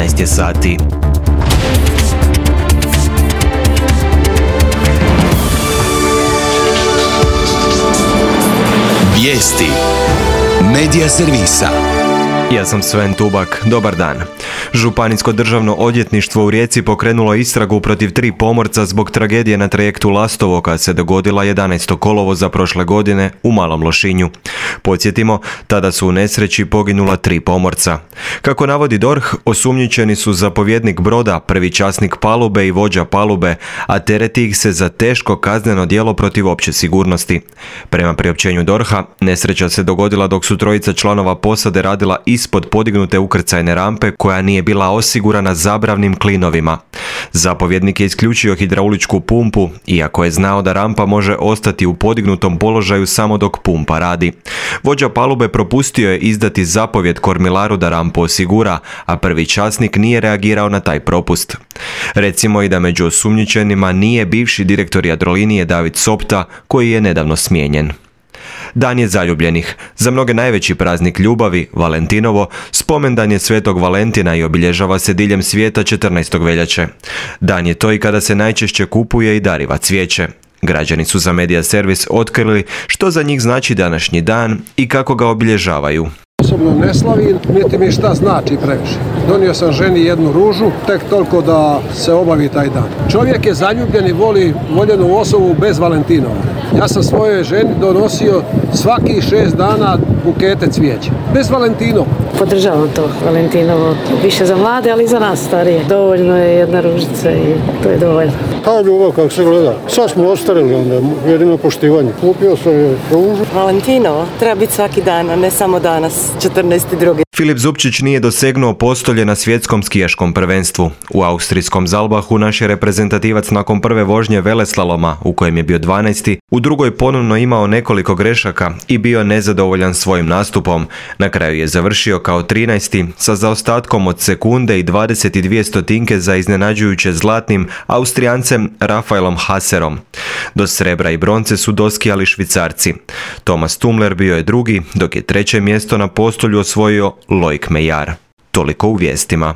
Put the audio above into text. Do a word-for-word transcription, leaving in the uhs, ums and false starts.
devetnaest je sati. Vijesti Medija servisa. Ja sam Sven Tubak, dobar dan. Županijsko državno odvjetništvo u Rijeci pokrenulo istragu protiv tri pomorca zbog tragedije na trajektu Lastovo koja se dogodila jedanaestog kolovoza prošle godine u Malom Lošinju. Podsjetimo, tada su u nesreći poginula tri pomorca. Kako navodi D O R H, osumnjičeni su zapovjednik broda, prvi časnik palube i vođa palube, a tereti ih se za teško kazneno djelo protiv opće sigurnosti. Prema priopćenju D O R H-a, nesreća se dogodila dok su trojica članova posade radila ispod podignute ukrcajne rampe koja nije bila osigurana zabravnim klinovima. Zapovjednik je isključio hidrauličku pumpu, iako je znao da rampa može ostati u podignutom položaju samo dok pumpa radi. Vođa palube propustio je izdati zapovjed kormilaru da rampu osigura, a prvi časnik nije reagirao na taj propust. Recimo i da među osumnjičenima nije bivši direktor Jadrolinije David Sopta, koji je nedavno smijenjen. Dan je zaljubljenih. Za mnoge najveći praznik ljubavi, Valentinovo, spomendan je Svetog Valentina i obilježava se diljem svijeta četrnaestog veljače. Dan je to i kada se najčešće kupuje i dariva cvijeće. Građani su za Medija servis otkrili što za njih znači današnji dan i kako ga obilježavaju. Osobno ne slavim, niti mi šta znači previše. Donio sam ženi jednu ružu, tek toliko da se obavi taj dan. Čovjek je zaljubljen i voli voljenu osobu bez Valentinova. Ja sam svojoj ženi donosio svaki šest dana bukete cvijeća. Bez Valentinova. Podržavam to Valentinovo, više za mlade, ali i za nas starije. Dovoljno je jedna ružica i to je dovoljno. Ta ljubav kako se gleda. Sad smo ostarili onda, jedino poštivanje. Kupio sam je ružu. Valentinovo treba biti svaki dan, a ne samo danas, četrnaesti drugi Filip Zupčić nije dosegnuo postolje na svjetskom skijaškom prvenstvu. U austrijskom Zalbahu naš je reprezentativac nakon prve vožnje veleslaloma, u kojem je bio dvanaesti, u drugoj ponovno imao nekoliko grešaka i bio nezadovoljan svojim nastupom. Na kraju je završio kao trinaesti sa zaostatkom od sekunde i dvadeset dvije stotinke za iznenađujuće zlatnim Austrijancem Rafaelom Haserom. Do srebra i bronce su doskijali Švicarci. Thomas Tumler bio je drugi, dok je treće mjesto na postolju osvojio Loic Meillard. Toliko u vijestima.